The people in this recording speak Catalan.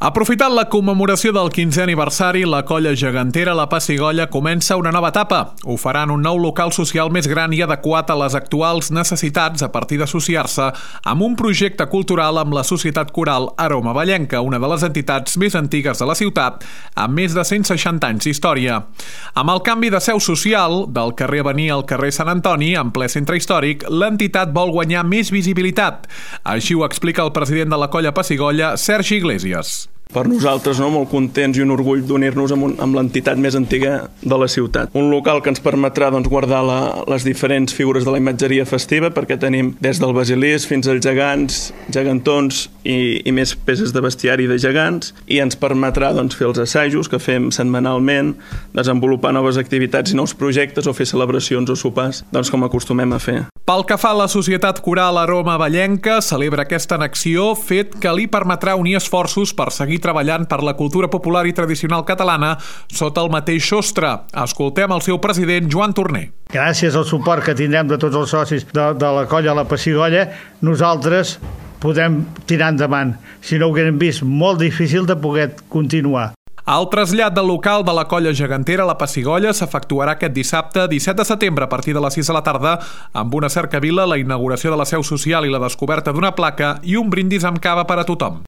Aprofitant la commemoració del 15è aniversari, la colla gegantera La Pessigolles comença una nova etapa. Ho farà en un nou local social més gran i adequat a les actuals necessitats a partir d'associar-se amb un projecte cultural amb la Societat Coral Aroma Vallenca, una de les entitats més antigues de la ciutat, amb més de 160 anys d'història. Amb el canvi de seu social, del carrer Avenir al carrer Sant Antoni, en ple centre històric, l'entitat vol guanyar més visibilitat. Així ho explica el president de la colla Pessigolles, Sergi Iglesias. Per nosaltres, molt contents i un orgull d'unir-nos amb l'entitat més antiga de la ciutat. Un local que ens permetrà guardar les diferents figures de la imatgeria festiva, perquè tenim des del basilisc fins als gegants, gegantons i més peces de bestiari de gegants, i ens permetrà fer els assajos que fem setmanalment, desenvolupar noves activitats i nous projectes o fer celebracions o sopars, com acostumem a fer. Pel que fa a la Societat Coral Aroma Vallenca, celebra aquesta annexió, fet que li permetrà unir esforços per seguir treballant per la cultura popular i tradicional catalana sota el mateix sostre. Escoltem el seu president, Joan Torner. Gràcies al suport que tindrem de tots els socis de la colla La Pessigolles, nosaltres podem tirar endavant. Si no ho haguem vist, molt difícil de poder continuar. El trasllat del local de la colla gegantera La Pessigolles s'efectuarà aquest dissabte 17 de setembre a partir de les 6 de la tarda amb una cercavila, la inauguració de la seu social i la descoberta d'una placa i un brindis amb cava per a tothom.